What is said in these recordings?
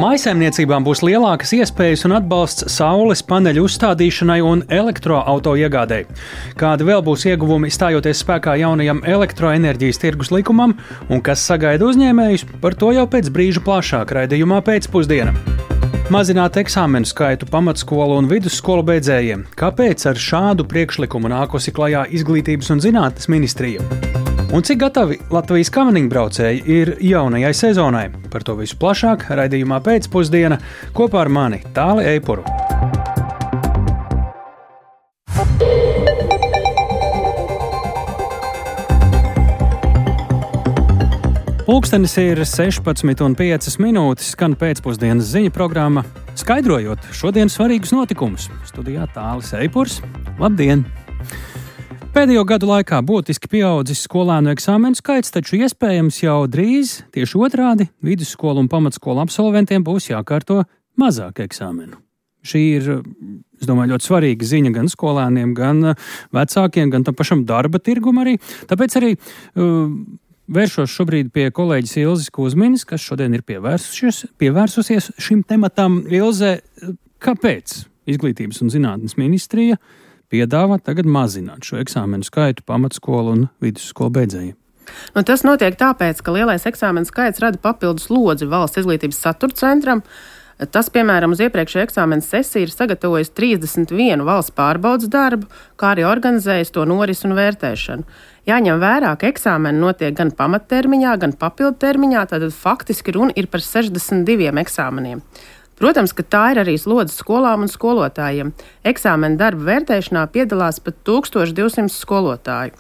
Mājsaimniecībām būs lielākas iespējas un atbalsts saules paneļu uzstādīšanai un elektroauto iegādēji. Kādi vēl būs ieguvumi stājoties spēkā jaunajam elektroenerģijas tirgus likumam un kas sagaida uzņēmējus, par to jau pēc brīža plašāk raidījumā pēcpusdiena. Mazināt eksāmenu skaitu pamatskolu un vidusskolu beidzējiem. Kāpēc ar šādu priekšlikumu nākusi klajā Izglītības un zinātnes ministrija? Un cik gatavi Latvijas kamaniņbraucēji ir jaunajai sezonai? Par to visu plašāk raidījumā pēcpusdiena kopā ar mani Tāli Eipuru. Pulkstenis ir 16:05, skan pēcpusdienas ziņu programma, skaidrojot šodienas svarīgus notikumus. Studijā Tālis Eipurs. Labdien! Pēdējo gadu laikā būtiski pieaudzis skolēnu eksāmenu skaits, taču iespējams jau drīz, tieši otrādi, vidusskolu un pamatskolu absolventiem būs jākārto mazāk eksāmenu. Šī ir, es domāju, ļoti svarīga ziņa gan skolēniem, gan vecākiem, gan tam pašam darba tirgum arī. Tāpēc arī vēršos šobrīd pie kolēģis Ilzes Kuzmiņas, kas šodien ir pievērsusies šim tematam. Ilze, kāpēc Izglītības un zinātnes ministrija piedāvā tagad mazināt šo eksāmenu skaitu pamatskolu un vidusskolu beidzējiem? Tas notiek tāpēc, ka lielais eksāmenu skaits rada papildus slodzi Valsts izglītības satura centram. Tas, piemēram, uz iepriekšējo eksāmenu sesiju ir sagatavojis 31 valsts pārbaudas darbu, kā arī organizējis to norisi un vērtēšanu. Jāņem vērā, ka eksāmeni notiek gan pamattermiņā, gan papildtermiņā, tātad faktiski runa ir par 62 eksāmeniem. Protams, ka tā ir arī slodze skolām un skolotājiem. Eksāmena darba vērtēšanā piedalās pat 1200 skolotāju.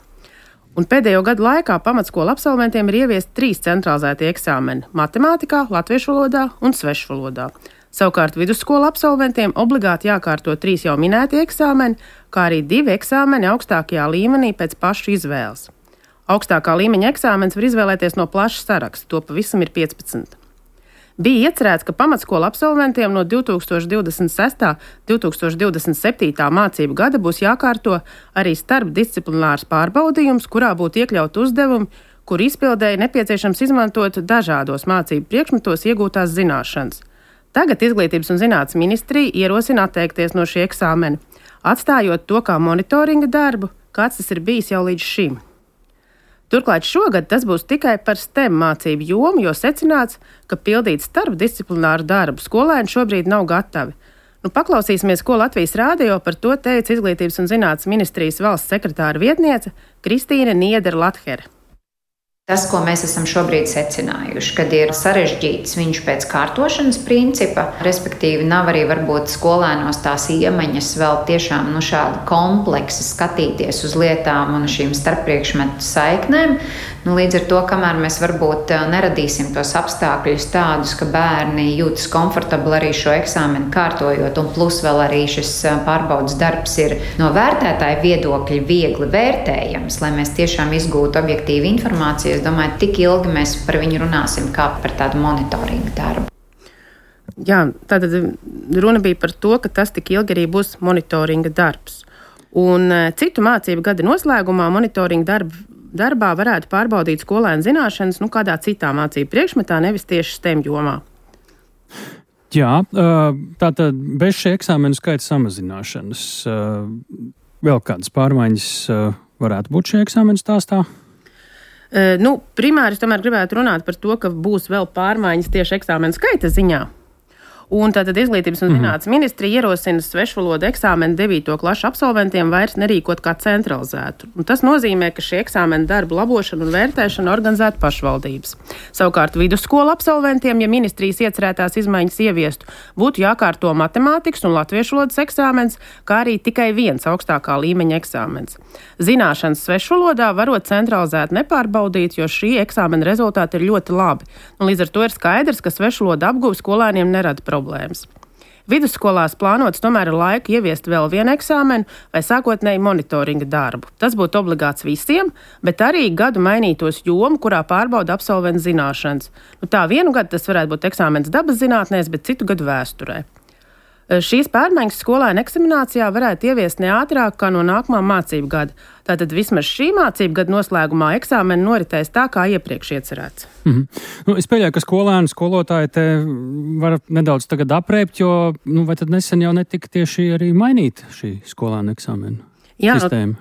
Un pēdējo gadu laikā pamatskolu absolventiem ir ieviesti 3 centralizēti eksāmeni – matemātikā, latviešu valodā un svešu valodā. Savukārt vidusskolu absolventiem obligāti jākārto 3 jau minēti eksāmeni, kā arī 2 eksāmeni augstākajā līmenī pēc pašu izvēles. Augstākā līmeņa eksāmenis var izvēlēties no plaša saraksta, to pavisam ir 15. Bija iecerēts, ka pamatskolu absolventiem no 2026. 2027. mācību gada būs jākārto arī starpdisciplinārs pārbaudījums, kurā būtu iekļaut uzdevumi, kur izpildēji nepieciešams izmantot dažādos mācību priekšmetos iegūtās zināšanas. Tagad Izglītības un zinātnes ministrija ierosina atteikties no šī eksāmena, atstājot to kā monitoringa darbu, kāds tas ir bijis jau līdz šim. Turklāt šogad tas būs tikai par STEM mācību jomu, jo secināts, ka pildīt starpdisciplināru darbu skolēni šobrīd nav gatavi. Paklausīsimies, ko Latvijas rādio par to teica Izglītības un zinātnes ministrijas valsts sekretāra vietniece Kristīne Niedera-Lathere. Tas, ko mēs esam šobrīd secinājuši, kad ir sarežģīts viņš pēc kārtošanas principa, respektīvi nav arī varbūt skolēnos tās iemaņas vēl tiešām šādi kompleksi skatīties uz lietām un šīm starppriekšmetu saiknēm. Līdz ar to, kamēr mēs varbūt neradīsim tos apstākļus tādus, ka bērni jūtas komfortabli arī šo eksāmenu kārtojot, un plus vēl arī šis pārbaudas darbs ir no vērtētāja viedokļa viegli vērtējams, lai mēs tiešām izgūtu objektīvu informāciju. Es domāju, tik ilgi mēs par viņu runāsim kā par tādu monitoringu darbu. Jā, tātad runa bija par to, ka tas tik ilgi arī būs monitoringa darbs. Un citu mācību gada noslēgumā monitoringa darbā varētu pārbaudīt skolēnu zināšanas kādā citā mācību priekšmetā, nevis tieši STEM jomā. Jā, tātad bez šī eksāmenu skaita samazināšanas vēl kādas pārmaiņas varētu būt šī eksāmenu stāstā? Primāri es tomēr gribētu runāt par to, ka būs vēl pārmaiņas tieši eksāmenu skaita ziņā. Un tātad Izglītības un zinātnes ministrija ierosina svešvalodu eksāmenu 9. klašu absolventiem vairs nerīkot kā centralizētu. Un tas nozīmē, ka šī eksāmena darbu labošana un vērtēšana organizētu pašvaldības. Savukārt vidusskolu absolventiem, ja ministrijas iecerētās izmaiņas ieviestu, būtu jākārto matemātikas un latviešu valodas eksāmens, kā arī tikai viens augstākā līmeņa eksāmens. Zināšanas svešvalodā varot centralizēt nepārbaudīt, jo šī eksāmena rezultāti ir ļoti labi. Līdz ar to ir skaidrs, ka svešvaloda apguve skolēniem nerada problēmas. Vidusskolās plānots tomēr ir laika ieviest vēl vienu eksāmenu vai sākotnēji monitoringa darbu. Tas būtu obligāts visiem, bet arī gadu mainītos jomu, kurā pārbauda absolventu zināšanas. Tā vienu gadu tas varētu būt eksāmens dabas zinātnēs, bet citu gadu vēsturē. Šīs pārmaiņas skolēnu eksaminācijā varētu ieviest ne ātrāk kā no nākamā mācību gada. Tātad vismaz šī mācību gada noslēgumā eksāmeni noritēs tā, kā iepriekš iecerēts. Es pieļauju, ka skolēni, skolotāji te var nedaudz tagad aprēpt, jo vai tad nesen jau netika tieši arī mainīt šī skolēnu eksāmenu? Jā,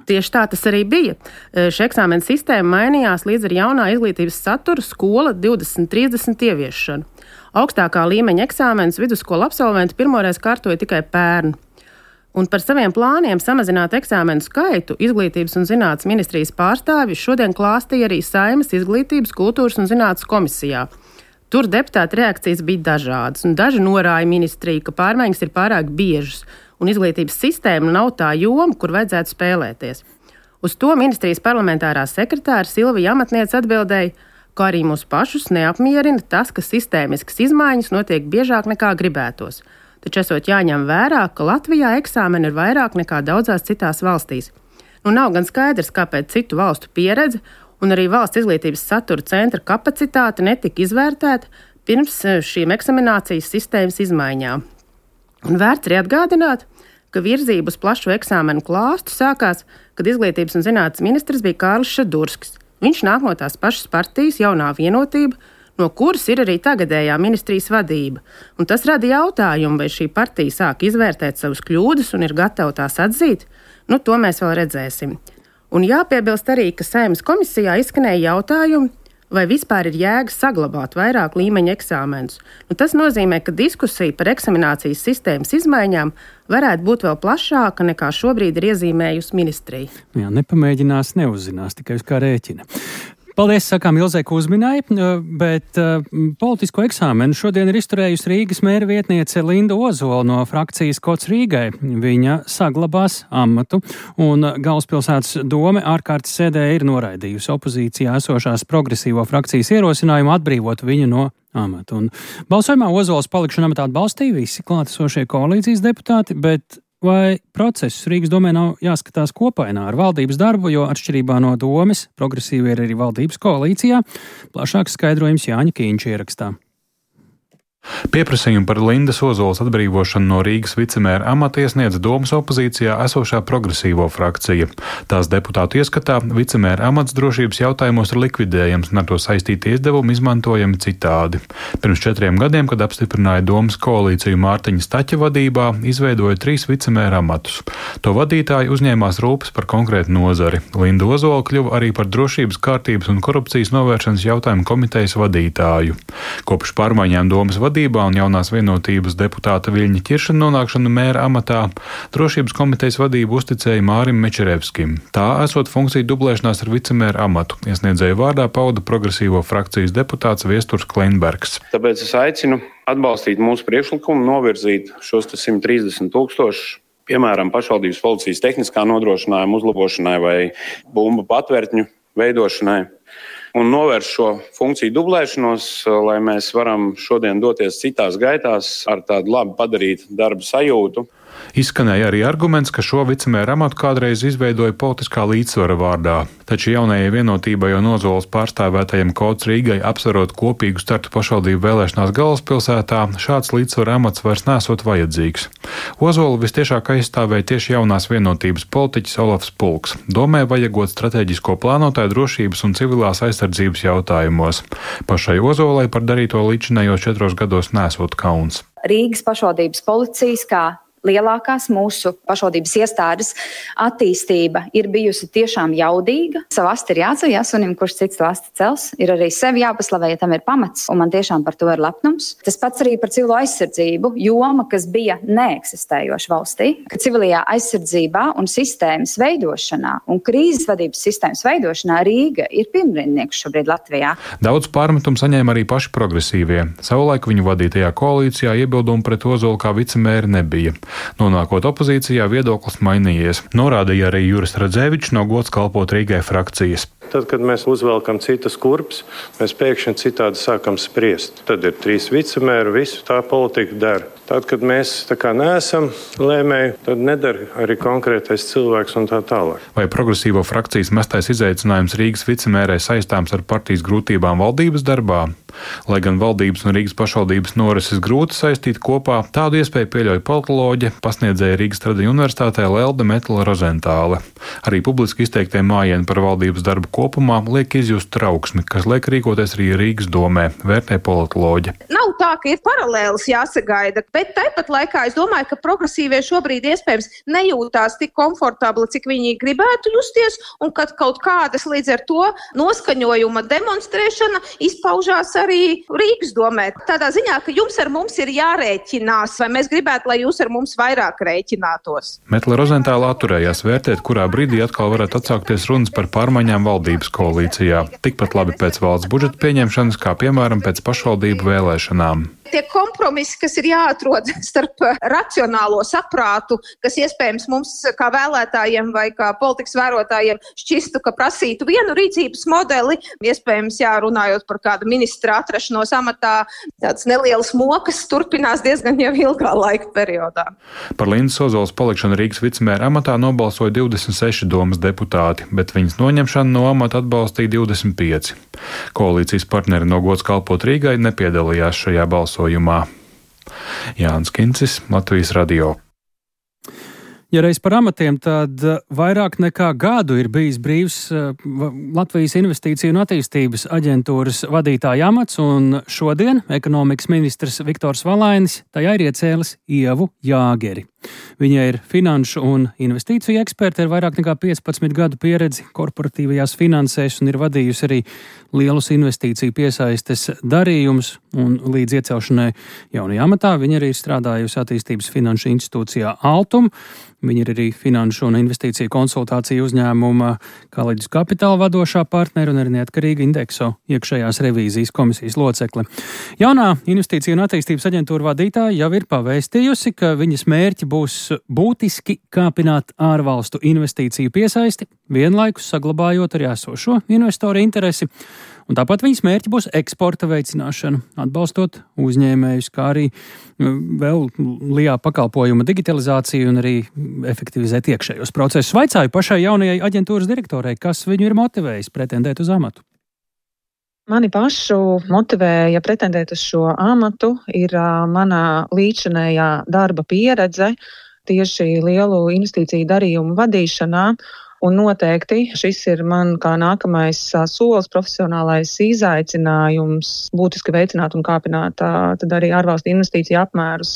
tieši tā tas arī bija. Šī eksāmena sistēma mainījās līdz ar jaunā izglītības satura skola 2030 ieviešanu. Augstākā līmeņa eksāmenus vidusskolu absolventi pirmoreiz kārtoja tikai pērn. Un par saviem plāniem samazināt eksāmenu skaitu Izglītības un zinātnes ministrijas pārstāvji šodien klāstīja arī Saeimas Izglītības, kultūras un zinātnes komisijā. Tur deputātu reakcijas bija dažādas, un daži norāja ministriju, ka pārmaiņas ir pārāk biežas, un izglītības sistēma nav tā joma, kur vajadzētu spēlēties. Uz to ministrijas parlamentārā sekretāra Silvija Amatniece atbildēja, ka arī mūs pašus neapmierina tas, ka sistēmiskas izmaiņas notiek biežāk nekā gribētos. Taču esot jāņem vērā, ka Latvijā eksāmeni ir vairāk nekā daudzās citās valstīs. Nav gan skaidrs, kāpēc citu valstu pieredze un arī valsts izglītības satura centra kapacitāte netika izvērtēta pirms šīm eksaminācijas sistēmas izmaiņām. Un vērts arī atgādināt, ka virzība uz plašu eksāmenu klāstu sākās, kad Izglītības un zinātnes ministrs bija Kārlis Šadurskis. Viņš nāk no tās pašas partijas Jaunā Vienotība, no kuras ir arī tagadējā ministrijas vadība. Un tas rada jautājumu, vai šī partija sāk izvērtēt savus kļūdas un ir gatava tās atzīt. To mēs vēl redzēsim. Un jāpiebilst arī, ka Saeimas komisijā izskanēja jautājumi, vai vispār ir jēga saglabāt vairāk līmeņa eksāmenus. Tas nozīmē, ka diskusija par eksaminācijas sistēmas izmaiņām varētu būt vēl plašāka nekā šobrīd ir iezīmējusi ministrija. Jā, nepamēģinās, neuzzinās, tikai uz kā rēķina. Paldies, sakām Ilzei Kuzminai, bet politisko eksāmenu šodien ir izturējusi Rīgas mēra vietniece Linda Ozola no frakcijas Kods Rīgai. Viņa saglabās amatu, un Galvaspilsētas dome ārkārtas sēdē ir noraidījusi opozīcijā esošās progresīvo frakcijas ierosinājumu atbrīvot viņu no amata. Un balsojumā Ozolas palikšanu amatā atbalstīja visi klātesošie koalīcijas deputāti, bet vai process Rīgas domē nav jāskatās kopainā ar valdības darbu, jo atšķirībā no domes progresīvi ir arī valdības koalīcijā? Plašāks skaidrojums Jāņa Kīņša ierakstā. Pieprasījumu par Lindas Ozolas atbrīvošanu no Rīgas vicemēra amata iesniedz domas opozīcijā esošā progresīvo frakcija. Tās deputātu ieskatā vicemēra amats drošības jautājumos ir likvidējams un ar to saistīti izdevumi izmantojami citādi. Pirms 4 gadiem, kad apstiprināja domas koalīciju Mārtiņa Staķa vadībā, izveidoja 3 vicemēra amatus. To vadītāji uzņēmās rūpes par konkrētu nozari. Linda Ozola kļuva arī par drošības, kārtības un korupcijas novēršanas jautājumu komitejas vadītāju. Kopš pārmaiņām domas vadībā un Jaunās Vienotības deputāta Viļņa Ķirša nonākšanu mēra amatā drošības komitejas vadību uzticēja Mārim Mečerevskim. Tā esot funkcija dublēšanās ar vicemēra amatu. Iesniedzēju vārdā pauda progresīvo frakcijas deputāts Viesturs Kleinbergs. Tāpēc es aicinu atbalstīt mūsu priekšlikumu, novirzīt šos 130 000, piemēram, pašvaldības policijas tehniskā nodrošinājuma uzlabošanai vai bumbu patvērtņu veidošanai. Un novērst šo funkciju dublēšanos, lai mēs varam šodien doties citās gaitās ar tādu labi padarītu darbu sajūtu. Izskanēja arī arguments, ka šo vicemēra amatu kādreiz izveidoja politiskā līdzsvara vārdā, taču Jaunajai Vienotībai un Ozolas pārstāvētajiem Kods Rīgai apsverot kopīgu startu pašvaldību vēlēšanās Galvaspilsētā, šāds līdzsvara amats vairs nesot vajadzīgs. Ozolu vistiešāk aizstāvēja tieši Jaunās Vienotības politiķis Olafs Pulks. Domē vajagot strateģisko plānotāju drošības un civilās aizsardzības jautājumos. Pašai Ozolai par darīto līdzinējos 4 gados nesot kauns. Rīgas pašvaldības policijas kā lielākās mūsu pašvaldības iestādes attīstība ir bijusi tiešām jaudīga. Savu asti ir jāceļ, sunim, kurš cits asti cels. Ir arī sevi jāpaslavē, ja tam ir pamats, un man tiešām par to ir lepnums. Tas pats arī par civilo aizsardzību, joma, kas bija neeksistējoša valstī. Ka civilajā aizsardzībā un sistēmas veidošanā un krīzes vadības sistēmas veidošanā Rīga ir pirmrindnieks šobrīd Latvijā. Daudz pārmetumu saņēma arī paši progresīvie. Savulaik viņu vadītajā koalīcijā iebildumu pret Ozolu kā vicemēri nebija. Nonākot opozīcijā, viedoklis mainījies. Norādīja arī Juris Radzēvičs no Gods kalpot Rīgai frakcijas. Tad, kad mēs uzvelkam citas kurpes, mēs pēkšņi citādi sākam spriest. Tad ir 3 vicemēri, visu tā politika dara. Tad, kad mēs tā kā neesam lēmēji, tad nedara arī konkrētais cilvēks un tā tālāk. Vai progresīvo frakcijas mestais izaicinājums Rīgas vicemērē saistāms ar partijas grūtībām valdības darbā? Lai gan valdības un Rīgas pašvaldības norises grūti saistīt kopā, tādu iespēju pieļauj politoloģe, pasniedzēja Rīgas Tradiņu universitātē Lelde Metla Rozentāle. Arī publiski izteiktie mājieni par valdības darbu kopumā liek izjust trauksmi, kas liek rīkoties arī Rīgas domē, vērtē politoloģe. Nav tā, ka ir paralēlis jāsagaida, bet tāpat laikā es domāju, ka progresīvie šobrīd iespējams nejūtās tik komfortabli, cik viņi gribētu justies, un kad kaut kādas līdz ar to noskaņojuma demonstrēšana izpaužās arī Rīgas domē. Tādā ziņā, ka jums ar mums ir jārēķinās, vai mēs gribētu, lai jūs ar mums vairāk rēķinātos. Metla Rozentāle atturējās vērtēt, kurā brīdī atkal varētu atsākties runas par pārmaiņām valdības koalīcijā. Tikpat labi pēc valsts budžeta pieņemšanas, kā piemēram pēc pašvaldību vēlēšanām. Tie kompromisi, kas ir jāatrod starp racionālo saprātu, kas iespējams mums kā vēlētājiem vai kā politikas vērotājiem šķistu, ka prasītu vienu rīcības modeli, iespējams runājot par kādu ministra atrašanos amatā, tādas nelielas mokas turpinās diezgan jau ilgā laika periodā. Par Lindas Ozolas palikšanu Rīgas vicemēra amatā nobalsoja 26 domas deputāti, bet viņas noņemšanu no amata atbalstīja 25. Koalīcijas partneri no gods kalpot Rīgai nepiedalījās šajā balsojumā. Jānis Kincis, Latvijas radio. Ja reiz par amatiem, tad vairāk nekā gadu ir bijis brīvs Latvijas Investīciju un attīstības aģentūras vadītāja amats, un šodien ekonomikas ministrs Viktors Valainis tajā ir iecēlis Ievu Jāgeri. Viņa ir finanšu un investīciju eksperte ar vairāk nekā 15 gadu pieredzi korporatīvajās finansēs un ir vadījusi arī lielus investīciju piesaistes darījumus, un līdz iecelšanai jaunajā amatā viņa arī ir strādājusi attīstības finanšu institūcijā Altum. Viņa ir arī finanšu un investīciju konsultāciju uzņēmuma Collegius Capital vadošā partneri un arī neatkarīga Indexo iekšējās revīzijas komisijas locekle. Jaunā investīciju un attīstības aģentūra vadītāja jau ir pavēstījusi, ka viņas mērķi būs būtiski kāpināt ārvalstu investīciju piesaisti, vienlaikus saglabājot arī esošo investoru interesi. Un tāpat viņas mērķi būs eksporta veicināšana, atbalstot uzņēmējus, kā arī vēl LIA pakalpojuma digitalizāciju un arī efektivizēt iekšējos procesus. Vaicāju pašai jaunajai aģentūras direktorei, kas viņu ir motivējis pretendēt uz amatu. Mani pašu motivēja pretendēt uz šo amatu ir mana līdzinējā darba pieredze tieši lielu investīciju darījumu vadīšanā. Un noteikti šis ir man kā nākamais solis, profesionālais izaicinājums būtiski veicināt un kāpināt tad arī ārvalstu investīciju apmērus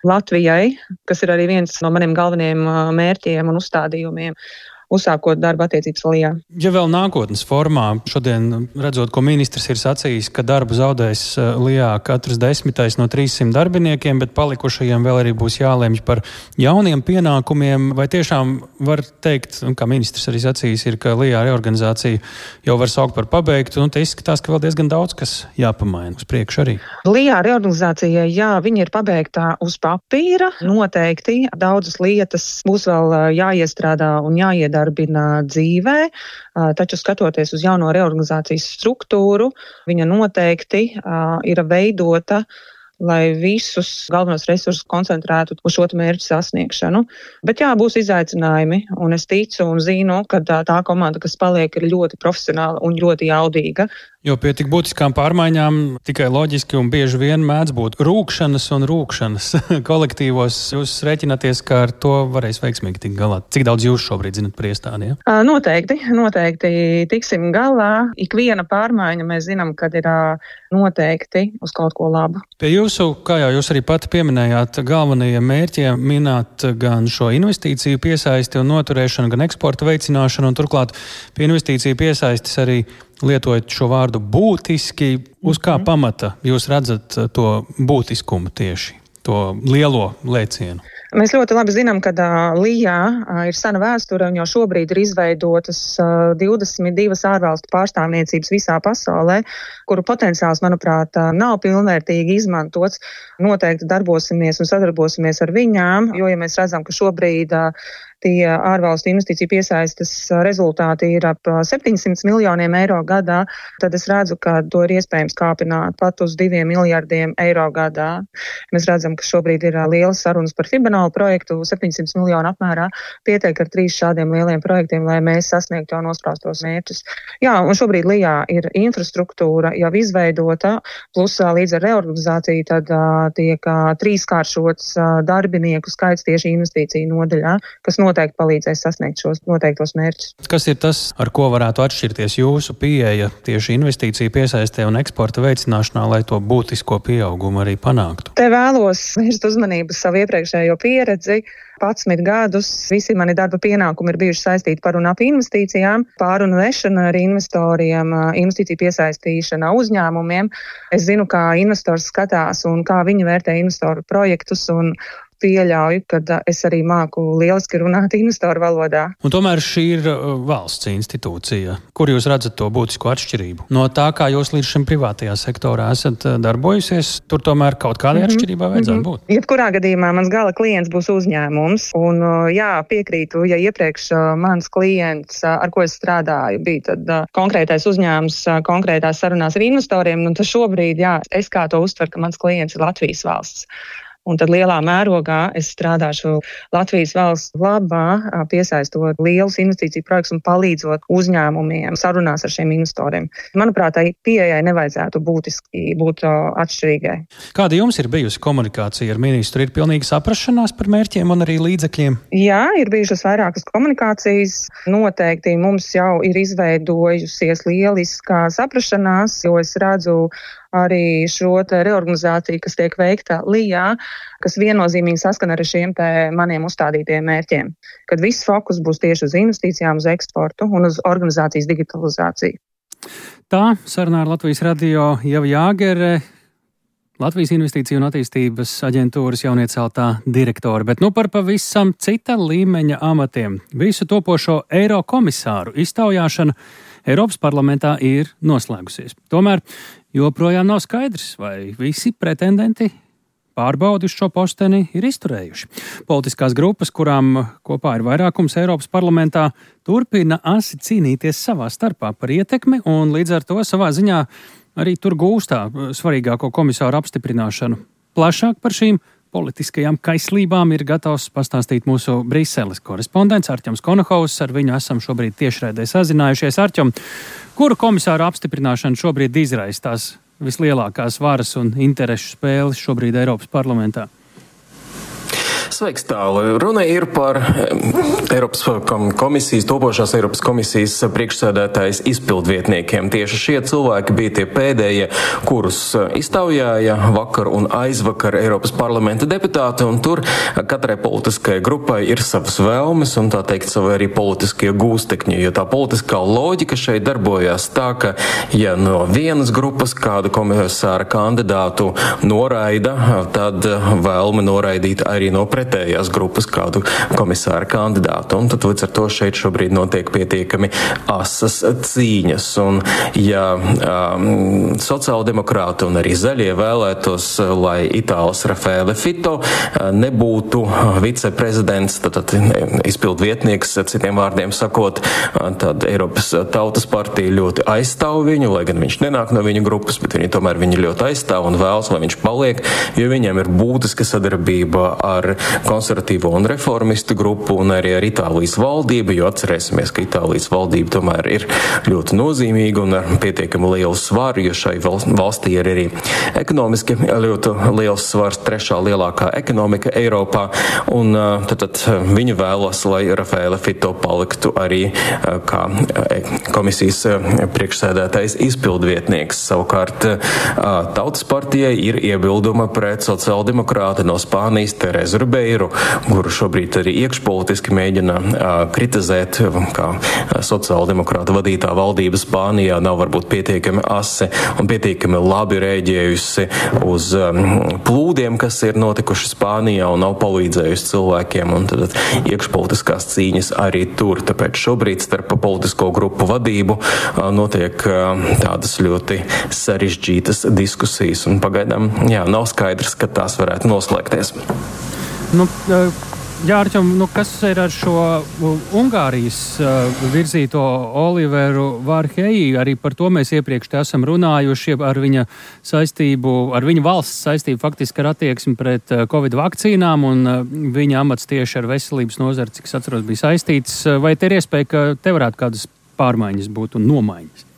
Latvijai, kas ir arī viens no maniem galvenajiem mērķiem un uzstādījumiem. Uzsākot darba attiecības LIA. Ja vēl nākotnes formā, šodien redzot, ko ministrs ir sacījis, ka darbu zaudēs LIA katrs 10. no 300 darbiniekiem, bet palikušajiem vēl arī būs jālemj par jauniem pienākumiem, vai tiešām var teikt, un kā ministrs arī sacījis, ir, ka LIA reorganizācija jau var saukt par pabeigtu, un te izskatās, ka vēl diezgan daudz kas jāpamaina uz priekšu arī. LIA reorganizācijai, jā, viņa ir pabeigtā uz papīra, noteikti daudzas lietas būs vēl jāiestrādā un jāiedarbina dzīvē, taču skatoties uz jauno reorganizācijas struktūru, viņa noteikti ir veidota, lai visus galvenos resursus koncentrētu uz šo mērķu sasniegšanu. Bet jā, būs izaicinājumi, un es ticu un zinu, ka tā komanda, kas paliek, ir ļoti profesionāla un ļoti jaudīga. Jo pie tik būtiskām pārmaiņām tikai loģiski un bieži vien mēdz būt rūkšanas un rūkšanas kolektīvos. Jūs rēķināties, ka ar to varēs veiksmīgi tikt galā. Cik daudz jūs šobrīd zinat par iestādi? Ja? Noteikti tiksim galā. Ikviena pārmaiņa mēs zinām, kad ir noteikti uz kaut ko labu. Pie jūsu, kā jau jūs arī pati pieminējāt, galvenajiem mērķiem minēt gan šo investīciju piesaisti un noturēšanu, gan eksporta veicināšanu, un turklāt pie investīciju piesaistes arī lietojot šo vārdu būtiski, uz kā pamata jūs redzat to būtiskumu tieši, to lielo lēcienu? Mēs ļoti labi zinām, ka LIA ir sena vēsture un jau šobrīd ir izveidotas 22 ārvalstu pārstāvniecības visā pasaulē, kuru potenciāls, manuprāt, nav pilnvērtīgi izmantots. Noteikti darbosimies un sadarbosimies ar viņām, jo, ja mēs redzam, ka šobrīd tie ārvalstu investīciju piesaistes rezultāti ir ap 700 miljoniem eiro gadā, tad es redzu, ka to ir iespējams kāpināt pat uz 2 miljardiem eiro gadā. Mēs redzam, ka šobrīd ir lielas sarunas par Fibonālu projektu, 700 miljonu apmērā pietiek ar 3 šādiem lieliem projektiem, lai mēs sasniegtu jau nospraustos mērķus. Jā, un šobrīd Lijā ir infrastruktūra jau izveidota, plus līdz ar reorganizāciju tad tiek 3-kāršots darbinieku skaits tieši investīciju nodaļā, kas noteikti palīdzēs sasniegt šos noteiktos mērķus. Kas ir tas, ar ko varētu atšķirties jūsu pieeja tieši investīciju piesaistē un eksporta veicināšanā, lai to būtisko pieaugumu arī panāktu? Te vēlos vērst uzmanību savu iepriekšējo pieredzi. 11 gadus visi mani darba pienākumi ir bijuši saistīti par un ap investīcijām, pārunu vešana ar investoriem, investīciju piesaistīšana uzņēmumiem. Es zinu, kā investors skatās un kā viņi vērtē investoru projektus un pieļauju, ka es arī māku lieliski runāt investoru valodā. Un tomēr šī ir valsts institūcija. Kur jūs redzat to būtisko atšķirību? No tā, kā jūs līdz šim privātajā sektorā esat darbojusies, tur tomēr kaut kādai atšķirībai vajadzētu būt. Jebkurā gadījumā mans gala klients būs uzņēmums. Un jā, piekrītu, ja iepriekš mans klients, ar ko es strādāju, bija tad konkrētais uzņēmums konkrētās sarunās ar investoriem, un tad šobrīd, jā, es kā to uztveru, ka mans klients ir Latvijas valsts. Un tad lielā mērogā es strādāšu Latvijas valsts labā, piesaistot lielus investīciju projektus un palīdzot uzņēmumiem sarunās ar šiem investoriem. Manuprāt, tai pieejai nevajadzētu būtiski būt atšķirīgai. Kāda jums ir bijusi komunikācija ar ministru? Ir pilnīgi saprašanās par mērķiem un arī līdzekļiem? Jā, ir bijušas vairākas komunikācijas. Noteikti mums jau ir izveidojusies lieliskā saprašanās, jo es redzu arī šo reorganizāciju, kas tiek veikta Lijā, kas viennozīmīgi saskana ar šiem maniem uzstādītiem mērķiem, kad viss fokus būs tieši uz investīcijām, uz eksportu un uz organizācijas digitalizāciju. Tā sarunā ar Latvijas radio Ieva Jāgere, Latvijas Investīciju un attīstības aģentūras jaunieceltā direktore, bet par pavisam cita līmeņa amatiem. Visu topošo eiro komisāru iztaujāšana Eiropas parlamentā ir noslēgusies. Tomēr joprojām nav skaidrs, vai visi pretendenti pārbaudi uz šo posteni ir izturējuši. Politiskās grupas, kurām kopā ir vairākums Eiropas parlamentā, turpina asi cīnīties savā starpā par ietekmi un līdz ar to savā ziņā arī tur gūstā svarīgāko komisāru apstiprināšanu. Plašāk par šīm politiskajām kaislībām ir gatavs pastāstīt mūsu Briseles korespondents Artjoms Konohaus. Ar viņu esam šobrīd tiešraidē sazinājušies. Artjom, kuru komisāru apstiprināšanu šobrīd izraisa tās vislielākās varas un interešu spēles šobrīd Eiropas parlamentā? Sveiks, tālu. Runa ir par Eiropas komisijas, topošās Eiropas komisijas priekšsēdētājas izpildvietniekiem. Tieši šie cilvēki bija tie pēdējie, kurus iztaujāja vakar un aizvakar Eiropas parlamenta deputāti, un tur katrai politiskajai grupai ir savas vēlmes un tā teikt savi arī politiskie gūstekņi, jo tā politiskā loģika šeit darbojās tā, ka ja no vienas grupas kādu komisāra kandidātu noraida, tad vēlme noraidīt arī no pretējās grupas kādu komisāra kandidātu. Un tad līdz ar to šeit šobrīd notiek pietiekami asas cīņas. Un ja sociāldemokrāti un arī zaļie vēlētos, lai Itālis Raffaele Fitto nebūtu viceprezidents, tad izpildvietnieks, citiem vārdiem sakot, tad Eiropas Tautas partija ļoti aizstāv viņu, lai gan viņš nenāk no viņa grupas, bet viņi tomēr viņu ļoti aizstāv un vēlas, lai viņš paliek, jo viņiem ir būtiska sadarbība ar konservatīvo un reformistu grupu un arī ar Itālijas valdību, jo atcerēsimies, ka Itālijas valdība tomēr ir ļoti nozīmīga un ar pietiekami lielu svaru, jo šai valstī ir arī ekonomiski ļoti liels svars, 3. lielākā ekonomika Eiropā, un tad viņi vēlas, lai Raffaele Fitto paliktu arī kā komisijas priekšsēdētājs izpildvietnieks. Savukārt Tautas partijai ir iebilduma pret sociāldemokrāti no Spānijas Terezu Ribeiru, kuru šobrīd arī iekšpolitiski mēģina kritizēt, kā sociāldemokrāta vadītā valdība Spānijā nav varbūt pietiekami asi un pietiekami labi rēģējusi uz plūdiem, kas ir notikuši Spānijā un nav palīdzējusi cilvēkiem, un tad iekšpolitiskās cīņas arī tur. Tāpēc šobrīd starp politisko grupu vadību notiek tādas ļoti sarežģītas diskusijas, un pagaidām nav skaidrs, ka tās varētu noslēgties. Jā, Arķom, kas ir ar šo Ungārijas virzīto Oliveru Vārheji? Arī par to mēs iepriekš te esam runājuši ar viņa saistību, ar viņa valsts saistību faktiski ar attieksmi pret Covid vakcīnām, un viņa amats tieši ar veselības nozari, cik es atceros, bija saistīts. Vai te ir iespēja, ka te varētu kādas pārmaiņas būt un nomaiņas?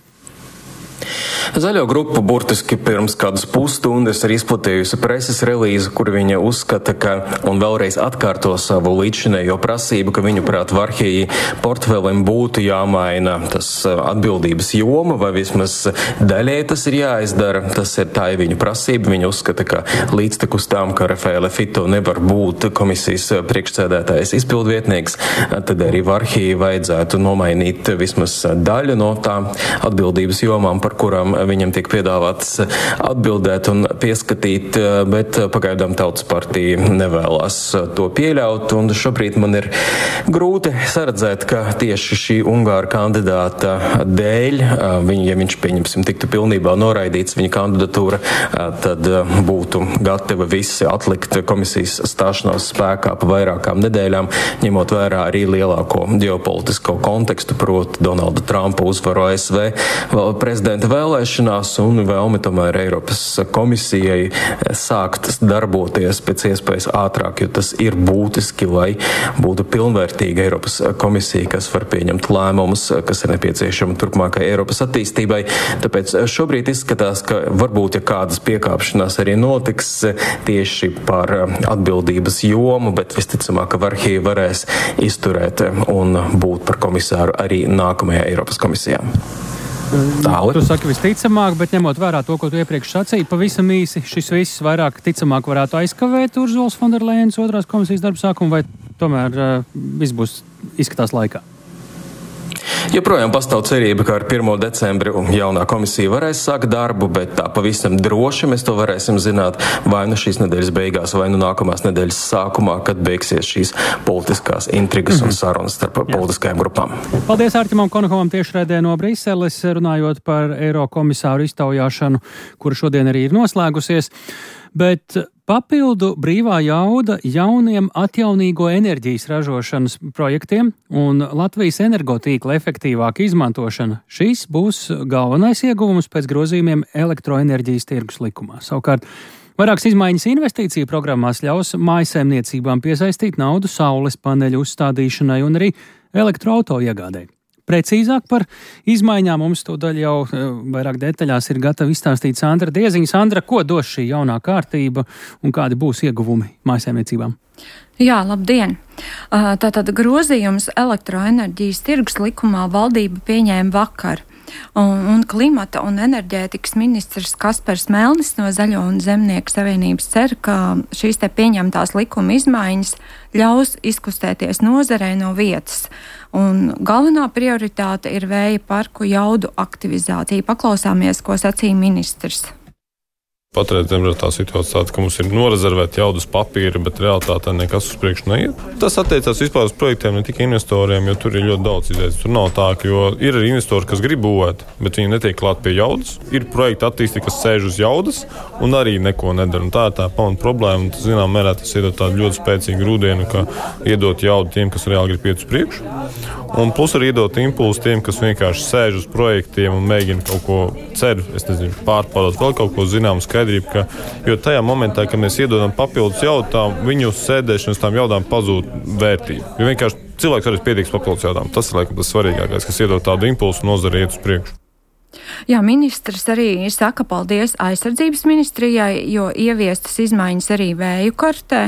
Zaļo grupa burtiski pirms kādas pusstundas ir izplatījusi preses relīzi, kur viņa uzskata, ka un vēlreiz atkārto savu līdzinējo prasību, ka viņu prāt Vārheji portfelim būtu jāmaina tas atbildības joma, vai vismaz daļai tas ir jāizdara. Tā ir viņa prasība. Viņa uzskata, ka līdztekus tām, ka Raffaele Fitto nevar būt komisijas priekšsēdētājs izpildvietnieks, tad arī Vārheji vajadzētu nomainīt vismaz daļu no tām atbildības jomām, par kurām viņam tiek piedāvāts atbildēt un pieskatīt, bet pagaidām Tautas partija nevēlas to pieļaut, un šobrīd man ir grūti saredzēt, ka tieši šī Ungāra kandidāta dēļ, ja viņš, pieņemsim, tiktu pilnībā noraidīts viņa kandidatūra, tad būtu gatavi visi atlikt komisijas stāšanās spēkā pa vairākām nedēļām, ņemot vērā arī lielāko ģeopolitisko kontekstu, proti Donalda Trumpa uzvaru ASV prezidenta vēlēšanās un vēlmi tomēr Eiropas komisijai sākt darboties pēc iespējas ātrāk, jo tas ir būtiski, lai būtu pilnvērtīga Eiropas komisija, kas var pieņemt lēmumus, kas ir nepieciešami turpmākai Eiropas attīstībai. Tāpēc šobrīd izskatās, ka varbūt, ja kādas piekāpšanās arī notiks tieši par atbildības jomu, bet visticamāk, ka Vārheji varēs izturēt un būt par komisāru arī nākamajā Eiropas komisijā. Tu saki visticamāk, bet ņemot vērā to, ko tu iepriekš sacīji, pavisam īsi šis viss vairāk ticamāk varētu aizkavēt Urzulas Fonderlejenas otrās komisijas darba sākumu, vai tomēr viss būs izskatās laikā? Joprojām pastāv cerība, ka ar 1. decembri jaunā komisija varēs sākt darbu, bet tā pavisam droši mēs to varēsim zināt vai nu šīs nedēļas beigās, vai nu nākamās nedēļas sākumā, kad beigsies šīs politiskās intrigas un sarunas starp politiskajām grupām. Paldies Arķimam Konokovam tiešraidē no Briseles, runājot par eiro komisāru iztaujāšanu, kura šodien arī ir noslēgusies. Bet papildu brīvā jauda jauniem atjaunīgo enerģijas ražošanas projektiem un Latvijas energotīkla efektīvāka izmantošana. Šis būs galvenais ieguvums pēc grozījumiem elektroenerģijas tirgus likumā. Savukārt, vairākas izmaiņas investīciju programmās ļaus mājsaimniecībām piesaistīt naudu saules paneļu uzstādīšanai un arī elektroauto iegādēji. Precīzāk par izmaiņām mums tūdaļ jau vairāk detaļās ir gatava izstāstīt Sandra Dieziņa. Sandra, ko dos šī jaunā kārtība un kādi būs ieguvumi mājsaimniecībām? Jā, labdien! Tātad grozījums elektroenerģijas tirgus likumā valdība pieņēma vakar. Un klimata un enerģētikas ministrs Kaspars Melnis no Zaļo un Zemnieku savienības cer, ka šīs te pieņemtās likuma izmaiņas ļaus izkustēties nozarei no vietas. Un galvenā prioritāte ir vēja parku jaudu aktivizācija. Paklausāmies, ko sacīja ministrs. Patreiz tā situācija tāda, ka mums ir norezervēta jaudas papīra, bet realitātē nekas uz priekšu neiet. Tas attiecās vispār uz projektiem, ne tikai investoriem, jo tur ir ļoti daudz izējas. Tur nav tā, jo ir arī investori, kas grib būvēt, bet viņi netiek klāt pie jaudas. Ir projekti attīstīti, kas sēž uz jaudas un arī neko nedara. Un tā ir tā pamata problēma. Un, zinām, mērā tas iedod tādu ļoti spēcīgu grūdienu, ka iedot jaudu tiem, kas reāli grib iet uz priekšu. Un plus arī iedot impulsu tiem, kas vienkārši sēž uz projektiem un mēģina kaut ko cer, pārpārot vēl kaut ko zināmu skaidrību, jo tajā momentā, kad mēs iedodam papildus jautām, viņu sēdēšanas tām jautām pazūd vērtība. Jo vienkārši cilvēks arī pietiks papildus jautām. Tas ir laikam tas svarīgākais, kas iedod tādu impulsu nozari iet uz priekšu. Jā, ministrs arī saka paldies aizsardzības ministrijai, jo ieviestas izmaiņas arī vēju kartē,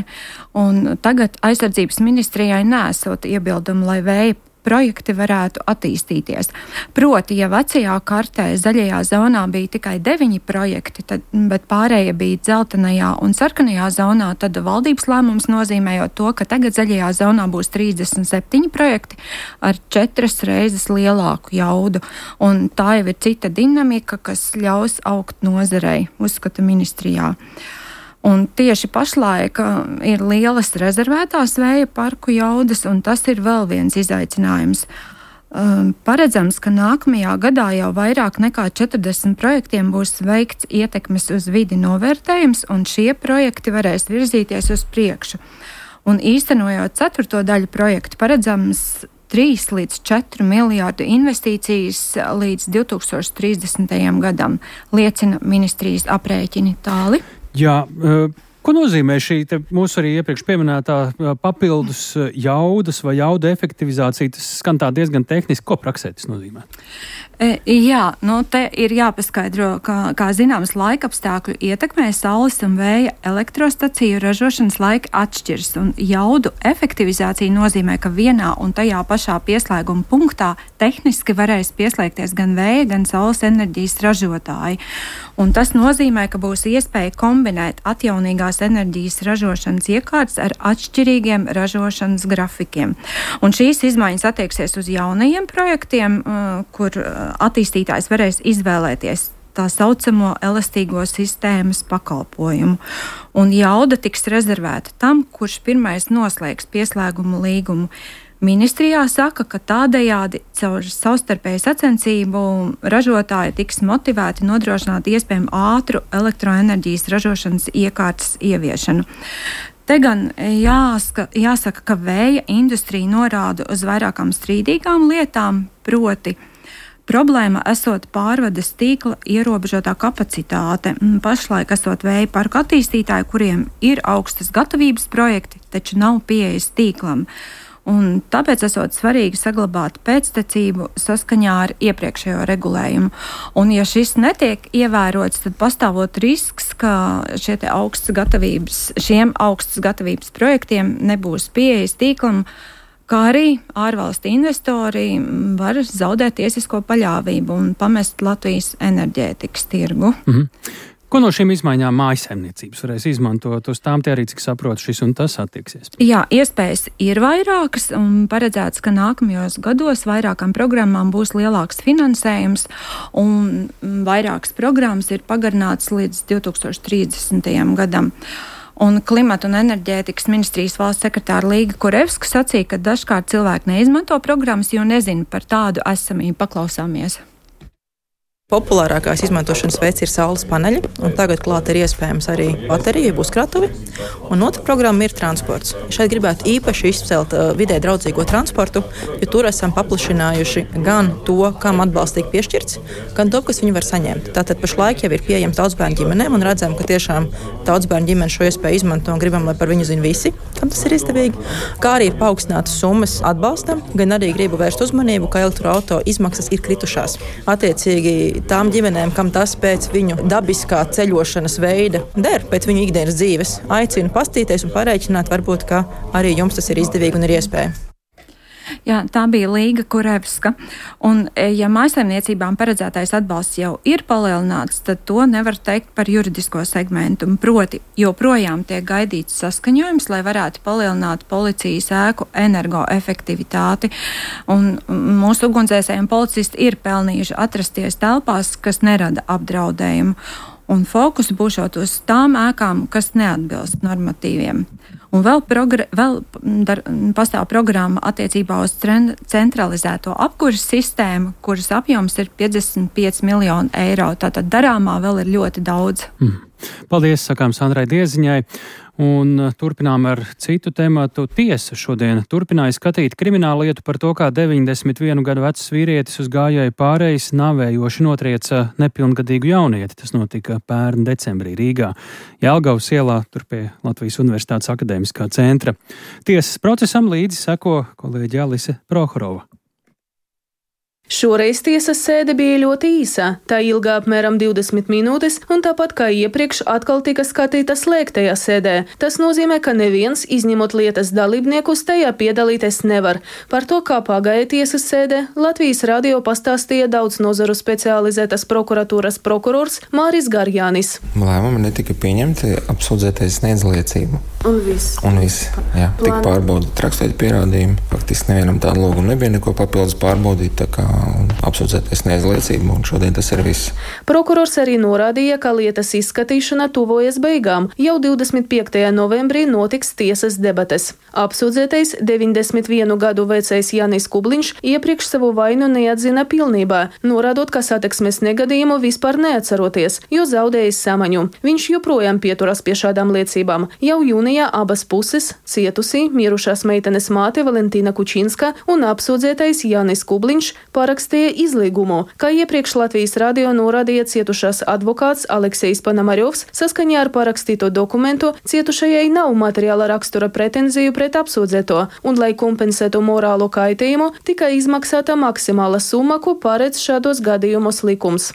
un tagad aizsardzības ministrijai nesot iebildumu, lai vēja projekti varētu attīstīties. Proti, ja vecajā kartē zaļajā zonā bija tikai 9 projekti, bet pārējie bija dzeltenajā un sarkanajā zonā, tad valdības lēmums nozīmējot to, ka tagad zaļajā zonā būs 37 projekti ar 4 reizes lielāku jaudu. Un tā jau ir cita dinamika, kas ļaus augt nozarei, uzskata ministrijā. Un tieši pašlaik ir lielas rezervētās vēja parku jaudas, un tas ir vēl viens izaicinājums. Paredzams, ka nākamajā gadā jau vairāk nekā 40 projektiem būs veikts ietekmes uz vidi novērtējums, un šie projekti varēs virzīties uz priekšu. Un īstenojot 4. daļu projektu paredzams 3 līdz 4 miljārdu investīcijas līdz 2030. gadam, liecina ministrijas aprēķini. Tāli. Jā, ko nozīmē šī mūsu arī iepriekš pieminētā papildus jaudas vai jauda efektivizācija? Tas skan tā diezgan tehniski. Ko praksē tas nozīmē? Jā, te ir jāpaskaidro, kā zināms, laika apstākļu ietekmē saules un vēja elektrostaciju ražošanas laika atšķiras, un jaudu efektivizācija nozīmē, ka vienā un tajā pašā pieslēguma punktā tehniski varēs pieslēgties gan vēja, gan saules enerģijas ražotāji. Un tas nozīmē, ka būs iespēja kombinēt atjaunīgās enerģijas ražošanas iekārtas ar atšķirīgiem ražošanas grafikiem. Un šīs izmaiņas attieksies uz jaunajiem projektiem, kur attīstītājs varēs izvēlēties tā saucamo elastīgo sistēmas pakalpojumu. Un jauda tiks rezervēta tam, kurš pirmais noslēgs pieslēgumu līgumu. Ministrijā saka, ka tādējādi caur savstarpēju sacensību ražotāji tiks motivēti nodrošināt iespējamu ātru elektroenerģijas ražošanas iekārtas ieviešanu. Te gan jāsaka, ka vēja industrija norāda uz vairākām strīdīgām lietām, proti problēma esot pārvades tīkla ierobežotā kapacitāte. Pašlaik esot vēja parku attīstītāji, kuriem ir augstas gatavības projekti, taču nav pieejas tīklam. Un tāpēc esot svarīgi saglabāt pēctecību saskaņā ar iepriekšējo regulējumu. Un ja šis netiek ievērots, tad pastāvot risks, ka šiem augstas gatavības projektiem nebūs pieejas tīklam, kā arī ārvalstu investori var zaudēt tiesisko paļāvību un pamest Latvijas enerģētikas tirgu. Ko no šīm izmaiņām mājsaimniecības varēs izmantot? Uz tām te arī, cik saprotu, šis un tas attieksies. Jā, iespējas ir vairākas un paredzēts, ka nākamajos gados vairākām programmām būs lielāks finansējums un vairākas programmas ir pagarināts līdz 2030. gadam. Un Klimata un enerģētikas ministrijas valsts sekretāra Līga Kurevska sacīja, ka dažkārt cilvēki neizmanto programmas, jo nezina par tādu esamību. Paklausāmies. Populārākās izmantošanas veids ir saules paneļi, un tagad klāt ir iespējams arī baterija, uzkrātuvi. Un otra programma ir transports. Šeit gribētu īpaši izcelt vidē draudzīgo transportu, jo tur esam paplašinājuši gan to, kam atbalstīgi piešķirts, gan to, kas viņi var saņemt. Tātad pašlaik jau ir pieejams daudzbērnu ģimenēm, un redzam, ka tiešām daudzbērnu ģimene šo iespēju izmanto un gribam, lai par viņu zina visi, kam tas ir izdevīgi. Kā arī ir paaugstinātas summas atbalstam, gan arī gribu vērst uzmanību, ka elektroauto izmaksas ir kritušās. Attiecīgi tām ģimenēm, kam tas pēc viņu dabiskā ceļošanas veida der, pēc viņu ikdienas dzīves, aicinu pastīties un parēķināt, varbūt, ka arī jums tas ir izdevīgi un ir iespēja. Jā, tā bija Līga Kurevska. Un, ja mājsaimniecībām paredzētais atbalsts jau ir palielināts, tad to nevar teikt par juridisko segmentu. Proti, joprojām tiek gaidīts saskaņojums, lai varētu palielināt policijas ēku energoefektivitāti. Un mūsu ugunsdzēsēji un policisti ir pelnījuši atrasties telpās, kas nerada apdraudējumu. Un fokus būšot uz tām ēkām, kas neatbilst normatīviem. Un vēl pastāv programma attiecībā uz centralizēto apkuras sistēmu, kuras apjoms ir 55 miljoni eiro. Tātad darāmā vēl ir ļoti daudz. Paldies, sakām Sandrai Dieziņai. Un turpinām ar citu tematu. Tiesa šodien turpināja skatīt kriminālu lietu par to, kā 91 gadu vecs vīrietis uz gājēju pārejas nāvējoši notrieca nepilngadīgu jaunieti. Tas notika pērn decembrī Rīgā, Jelgavas ielā, tur pie Latvijas Universitātes akadēmiskā centra. Tiesas procesam līdzi seko kolēģe Alise Prohorova. Šoreiz tiesas sēde bija ļoti īsa, tā ilgā apmēram 20 minūtes, un tāpat kā iepriekš atkal tika skatīta slēgtajā sēdē. Tas nozīmē, ka neviens, izņemot lietas dalībniekus, tajā piedalīties nevar. Par to, kā pagāja tiesas sēde, Latvijas radio pastāstīja daudz nozaru specializētas prokuratūras prokurors Māris Garjānis. Lēmumi netika pieņemti, apsūdzētais sniedz liecību. Un viss? Un viss, jā. Tik pārbaudīt rakstot pierādījumi. Faktiski nevienam tādu lūgumu nebija neko papildus pārbaudīt, tā kā apsūdzēties neaizliecību, un šodien tas ir viss. Prokurors arī norādīja, ka lietas izskatīšana tuvojas beigām. Jau 25. novembrī notiks tiesas debates. Apsūdzētais 91 gadu vecais Jānis Kubliņš iepriekš savu vainu neatzina pilnībā, norādot, ka satiksmes negadījumu vispār neatceroties, jo zaudējis samaņu. Viņš joprojām pieturas pie šādām liecībām. Jau jūnijā abas puses - cietusī, mirušās meitenes māte Valentīna Kučinska un apsūdzētais Jānis Kubliņš parakstīja izlīgumu, kā iepriekš Latvijas radio norādīja cietušās advokāts Aleksejs Panamaļovs. Saskaņā ar parakstīto dokumentu cietušajai nav materiāla rakstura pretenziju pret apsūdzēto, un, lai kompensētu morālo kaitījumu, tika izmaksāta maksimāla summa, ko paredz šādos gadījumos likums.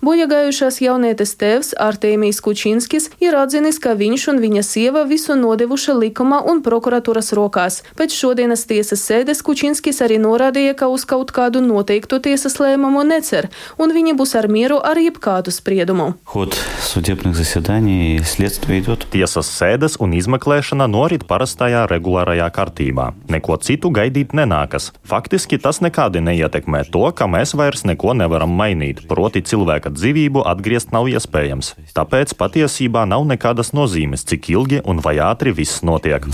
Bojagājušās jaunietes tēvs Artēmijs Kučinskis ir atzinis, ka viņš un viņa sieva visu nodevuši likuma un prokuratūras rokās. Pēc šodienas tiesas sēdes Kučinskis arī norādīja, ka uz kaut kādu noteiktu tiesas lēmumu necer, un viņi būs ar mieru ar jebkādu spriedumu. Tiesas sēdes un izmeklēšana norit parastajā regulārajā kārtībā. Neko citu gaidīt nenākas. Faktiski tas nekādi neietekmē to, ka mēs vairs neko nevaram mainīt, proti cilvēka dzīvību atgriezt nav iespējams. Tāpēc patiesībā nav nekādas nozīmes, cik ilgi un vai ātri viss notiek.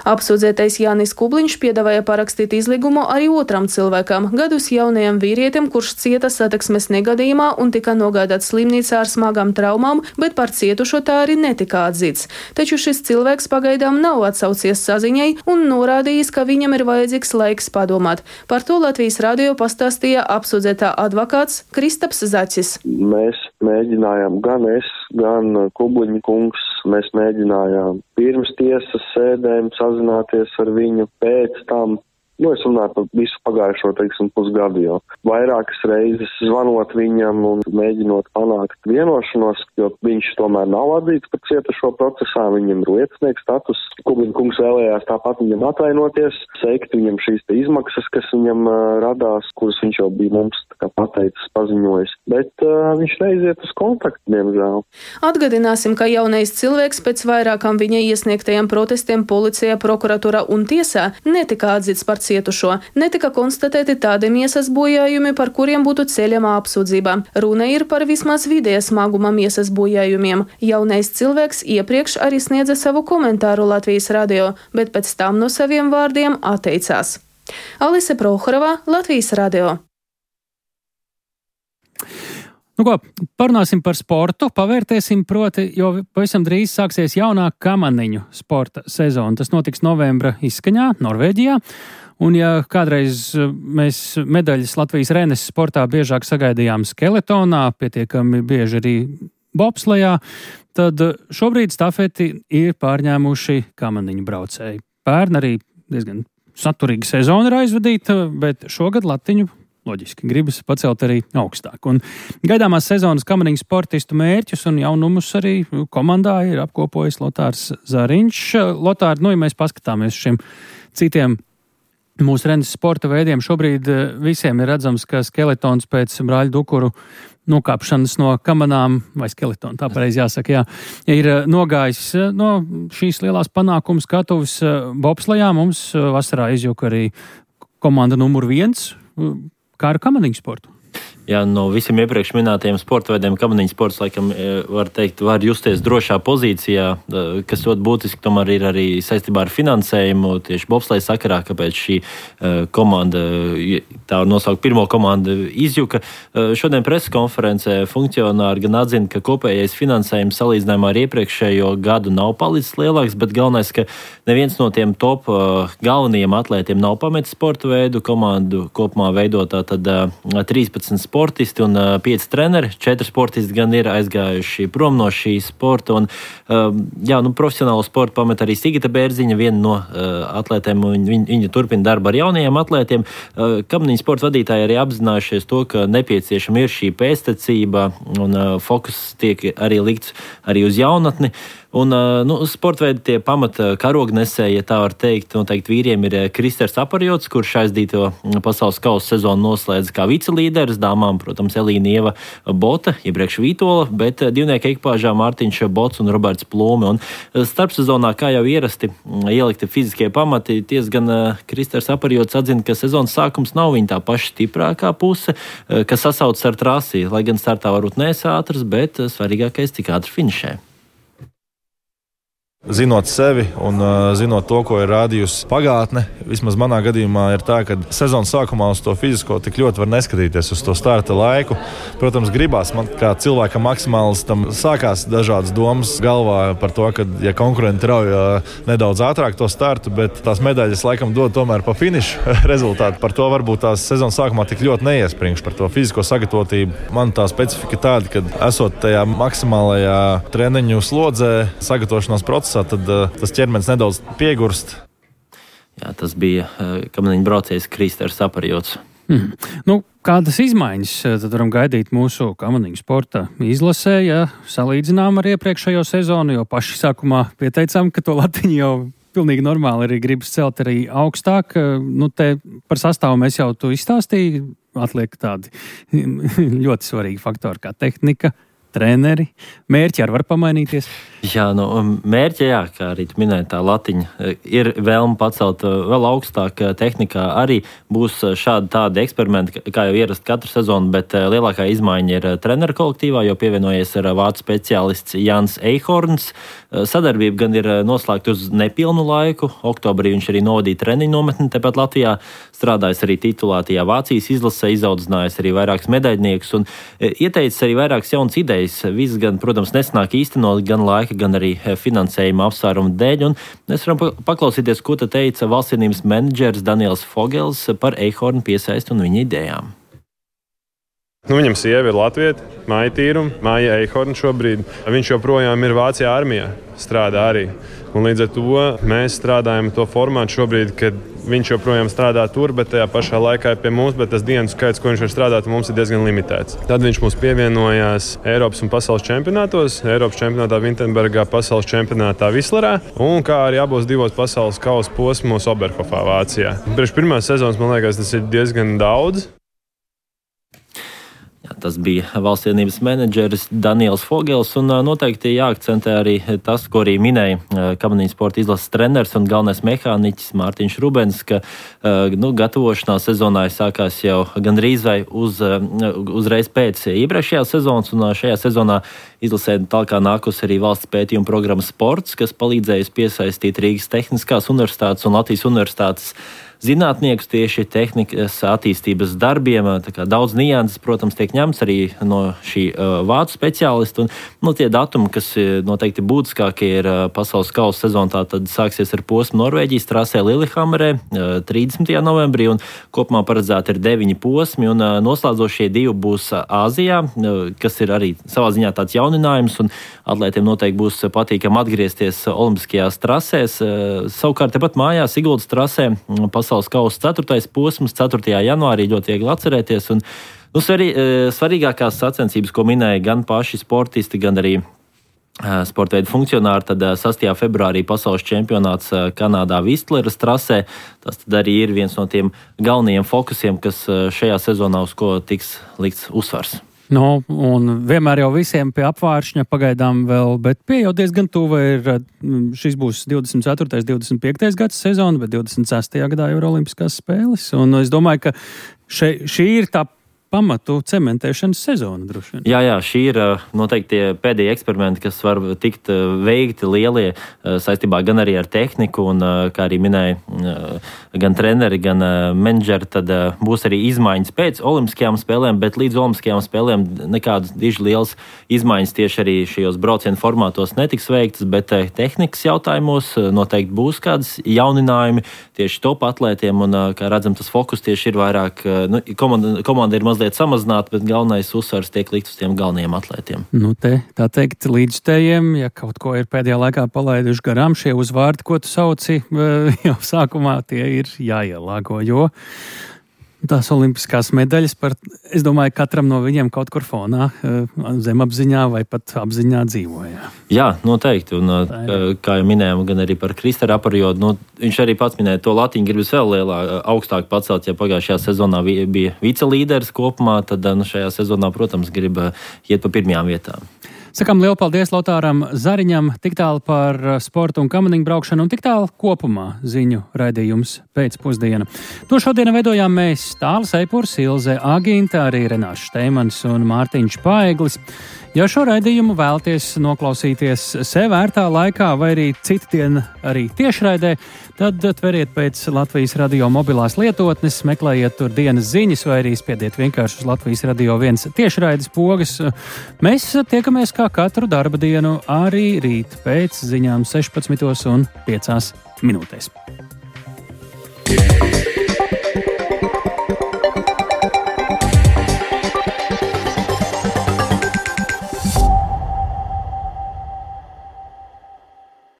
Apsūdzētais Jānis Kubliņš piedāvāja parakstīt izlīgumu arī otram cilvēkam, gadus jaunajam vīrietim, kurš cieta satiksmes negadījumā un tika nogādāts slimnīcā ar smagām traumām, bet par cietušo tā arī netika atzīts. Taču šis cilvēks pagaidām nav atsaucies saziņai un norādījis, ka viņam ir vajadzīgs laiks padomāt. Par to Latvijas radio pastāstīja apsūdzētā advokāts Kristaps Zaķis. Mēs mēģinājām, gan es, gan Kubliņa kungs, mēs mēģinājām pirms tiesas sēdēm sazināties ar viņu, pēc tam. Es runāju par visu pagājušo, pusgadu jau. Vairākas reizes zvanot viņam un mēģinot panākt vienošanos, jo viņš tomēr nav atzīts par cietušo procesā, viņam ir liecinieks status. Kubliņa kungs vēlējās tāpat viņam atvainoties, seikt viņam šīs izmaksas, kas viņam radās, kuras viņš jau bija mums pateicis, paziņojis. Bet viņš neiziet uz kontaktu, diemžēl. Atgādināsim, ka jaunais cilvēks pēc vairākām viņa iesniegtajiem protestiem policijā, prokuratūrā un tiesā netika atzīts par cietušo. Netika konstatēti tādi miesas bojājumi, par kuriem būtu ceļama apsūdzība. Runa ir par vismaz vidēja smaguma miesas bojājumiem. Jaunais cilvēks iepriekš arī sniedza savu komentāru Latvijas radio, bet pēc tam no saviem vārdiem atteicās. Alise Prohorova, Latvijas radio. Parunāsim par sportu, pavērtēsim proti, jo pavisam drīz sāksies jaunā kamaniņu sporta sezona. Tas notiks novembra izskaņā, Norvēģijā. Un ja kādreiz mēs medaļas Latvijas renes sportā biežāk sagaidījām skeletonā, pietiekami bieži arī bobslejā, tad šobrīd stafeti ir pārņēmuši kamaniņu braucēji. Pērn arī diezgan saturīga sezona ir aizvadīta, bet šogad latiņu loģiski gribas pacelt arī augstāk. Un gaidāmās sezonas kamaniņu sportistu mērķus un jaunumus arī komandā ir apkopojis Lotārs Zariņš. Lotār, ja mēs paskatāmies šiem citiem mūsu renes sporta veidiem, šobrīd visiem ir redzams, ka skeletons pēc brāļu Dukuru nokāpšanas no kamanām, vai skeletona, tā pareizi jāsaka, ir nogājis no šīs lielās panākuma skatuves bobslejā. Mums vasarā izjuka arī komanda numur 1, kā ar kamaniņu sportu. Jā, no visiem iepriekš minētajiem sporta veidiem kamaniņu sports, laikam, var justies drošā pozīcijā, kas ļoti būtiski tomēr ir arī saistībā ar finansējumu, tieši bobsleja sakarā, kāpēc šī komanda, tā var nosaukt pirmo komandu, izjuka. Šodien preses konferencē funkcionāri gan atzina, ka kopējais finansējums salīdzinājumā ar iepriekšējo gadu nav palicis lielāks, bet galvenais, ka neviens no tiem top galvenajiem atlētiem nav pametis sporta veidu. Komandu kopumā veidotā tad 13 sportisti un 5 treneri. 4 sportisti gan ir aizgājuši prom no šī sporta. Un, profesionālo sportu pamet arī Sigita Bērziņa, viena no atlētēm. Viņa turpina darbu ar jaunajiem atlētiem. Kamaniņu sporta vadītāji arī apzinājušies to, ka nepieciešama ir šī pēctecība un fokus tiek arī likts arī uz jaunatni. Un, sportveidi tie pamata karognesēji, ja tā var teikt, noteikti vīriem ir Kristers Aparjots, kurš aizdīto pasaules kausa sezonu noslēdz kā vicelīderis, dāmām, protams, Elīna Ieva Bota, iepriekš Vītola, bet divnieku ekipāžā Mārtiņš Bots un Roberts Plūme. Un starpsezonā, kā jau ierasti, ielikti fiziskie pamati, gan Kristers Aparjots atzina, ka sezonas sākums nav viņa tā paša stiprākā puse, kas sasaucas ar trasi, lai gan startā varbūt nees ātrs, bet svarīgākais, cik ātri finišē. Zinot sevi un zinot to, ko ir rādījusi pagātne, vismaz manā gadījumā ir tā, ka sezonas sākumā uz to fizisko tik ļoti var neskatīties uz to starta laiku. Protams, gribās man kā cilvēkam maksimālistam sākās dažādas domas galvā par to, ka ja konkurenti rauj nedaudz ātrāk to startu, bet tās medaļas laikam dod tomēr pa finišu rezultātu. Par to varbūt tās sezonas sākumā tik ļoti neiespringšu par to fizisko sagatavotību. Man tā specifika tāda, ka esot tajā maksimālajā treniņu slodzē, sagatavošanās procesā, tad tas ķermenis nedaudz piegurst. Jā, tas bija kamaniņu braucējs Kristers Aparjots. Kādas izmaiņas tad varam gaidīt mūsu kamaniņu sporta izlasē, ja salīdzinām ar iepriekšējo sezonu, jo paši sākumā pieteicām, ka to latiņu jau pilnīgi normāli arī gribas celt arī augstāk. Te par sastāvu mēs jau tu izstāstīji, atliek tādi ļoti svarīgi faktori kā tehnika, treneri, mērķi arī var pamainīties? Jā, mērķi, kā arī tu minēji, tā latiņa ir vēlme pacelt vēl augstāk tehnikā. Arī būs šādi tādi eksperimenti, kā jau ierast katru sezonu, bet lielākā izmaiņa ir treneru kolektīvā, jo pievienojies ar vācu speciālists Jans Eihorns. Sadarbība gan ir noslēgta uz nepilnu laiku. Oktobrī viņš arī novadīja treniņu nometni tepat Latvijā, strādājis arī titulētajā Vācijas izlasē, izaudzinājis arī vairākus medaļniekus un ieteicis arī vairākas jaunas idejas. Viss gan, protams, nesanāk īstenot gan laika, gan arī finansējuma apsvērumu dēļ. Un mēs varam paklausīties, ko te teica valstsienības menedžers Daniels Fogels par Eihornu piesaisti un viņa idejām. Viņam sieva ir latvieta, Maija Tīruma, Maija Eihorna šobrīd. Viņš joprojām ir Vācijā armijā, strādā arī. Un līdz ar to mēs strādājam to formātu šobrīd, kad viņš joprojām strādā tur, bet tajā pašā laikā ir pie mums, bet tas dienu skaits, ko viņš var strādāt, mums ir diezgan limitēts. Tad viņš mums pievienojās Eiropas un pasaules čempionātos, Eiropas čempionātā Vintenbergā, pasaules čempionātā Vislerā, un kā arī abos divos pasaules kausa posmos Oberhofā, Vācijā. Priekš pirmās sezonas, man liekas, tas ir diezgan daudz. Tas bija valstsienības menedžeris Daniels Fogels, un noteikti jāakcentē arī tas, ko arī minēja kamaniņu sporta izlases treneris un galvenais mehāniķis Mārtiņš Rubens, ka gatavošanās sezonā sākās jau gandrīz vai uzreiz pēc iepriekšējās sezonas, un šajā sezonā izlasē tālāk nākusi arī valsts pētījuma programma Sports, kas palīdzējusi piesaistīt Rīgas Tehniskās universitātes un Latvijas universitātes zinātniekus tieši tehnikas attīstības darbiem. Daudz nianses, protams, tiek ņemts arī no šī vācu speciālista. Un tie datumi, kas noteikti būtiskākie ir pasaules kausa sezonā, tad sāksies ar posmu Norvēģijas trasē Lillehammerē 30. novembrī, un kopumā paredzēti ir 9 posmi, un noslēdzošie 2 būs Āzijā, kas ir arī savā ziņā tāds jauninājums, un atlētiem noteikti būs patīkami atgriezties olimpiskajās trasēs. Savukārt tepat mājās Siguldas trasē pasaules kausa 4. posms 4. janvārī ļoti viegli atcerēties. Un, svarīgākās sacensības, ko minēja gan paši sportisti, gan arī sportveidu funkcionāri, tad 6. februārī pasaules čempionāts Kanādā Vistleras trasē. Tas tad arī ir viens no tiem galvenajiem fokusiem, kas šajā sezonā uz ko tiks likts uzsvars. Un vienmēr jau visiem pie apvāršņa pagaidām vēl, bet pie jau diezgan tuva ir, šis būs 24. 25. gads sezona, bet 26. gadā jau ir olimpiskās spēles, un es domāju, ka šī ir tā pamatu cementēšanas sezona droši vien. Jā, šī ir noteikti tie pēdējie eksperimenti, kas var tikt veikti lielie saistībā gan arī ar tehniku, un kā arī minēja gan treneri, gan menedžeri, tad būs arī izmaiņas pēc olimpiskajām spēlēm, bet līdz olimpiskajām spēlēm nekādas diži lielas izmaiņas tieši arī šajos braucienu formātos netiks veiktas, bet tehnikas jautājumos noteikti būs kādas jauninājumi tieši top atlētiem, un kā redzam, tas fokus tieši ir vairāk, komanda ir mazliet samazināta, bet galvenais uzsvars tiek likt uz tiem galvenajiem atlētiem. Tā teikt, līdzstējiem, ja kaut ko ir pēdējā laikā palaiduši garām, šie uzvārdi, ko tu sauci jau sākumā, tie ir jāielāgo, jo Tās olimpiskās medaļas, es domāju, katram no viņiem kaut kur fonā, zemapziņā vai pat apziņā dzīvoja. Jā, noteikti. Un, kā jau minējām, gan arī par Kristera periodu, viņš arī pats minēja, to latiņu gribas vēl augstāk pacelt. Ja pagājušajā sezonā bija vicelīderis kopumā, tad šajā sezonā, protams, grib iet pa pirmajām vietām. Sakām lielu paldies Lotāram Zariņam, tik tālu par sportu un kamaniņu braukšanu un tik tālu kopumā ziņu raidījums pēcpusdiena. To šodien veidojām mēs Tālis Eipurs, Ilze Agīnta, arī Renārs Šteimans un Mārtiņš Paeglis. Ja šo raidījumu vēlaties noklausīties sev ērtā laikā vai arī citdien arī tiešraidē, tad tveriet pēc Latvijas radio mobilās lietotnes, meklējiet tur dienas ziņas vai arī spiediet vienkārši uz Latvijas radio 1 tiešraides pogas. Mēs tiekamies kā katru darba dienu arī rīt pēc ziņām 16:05.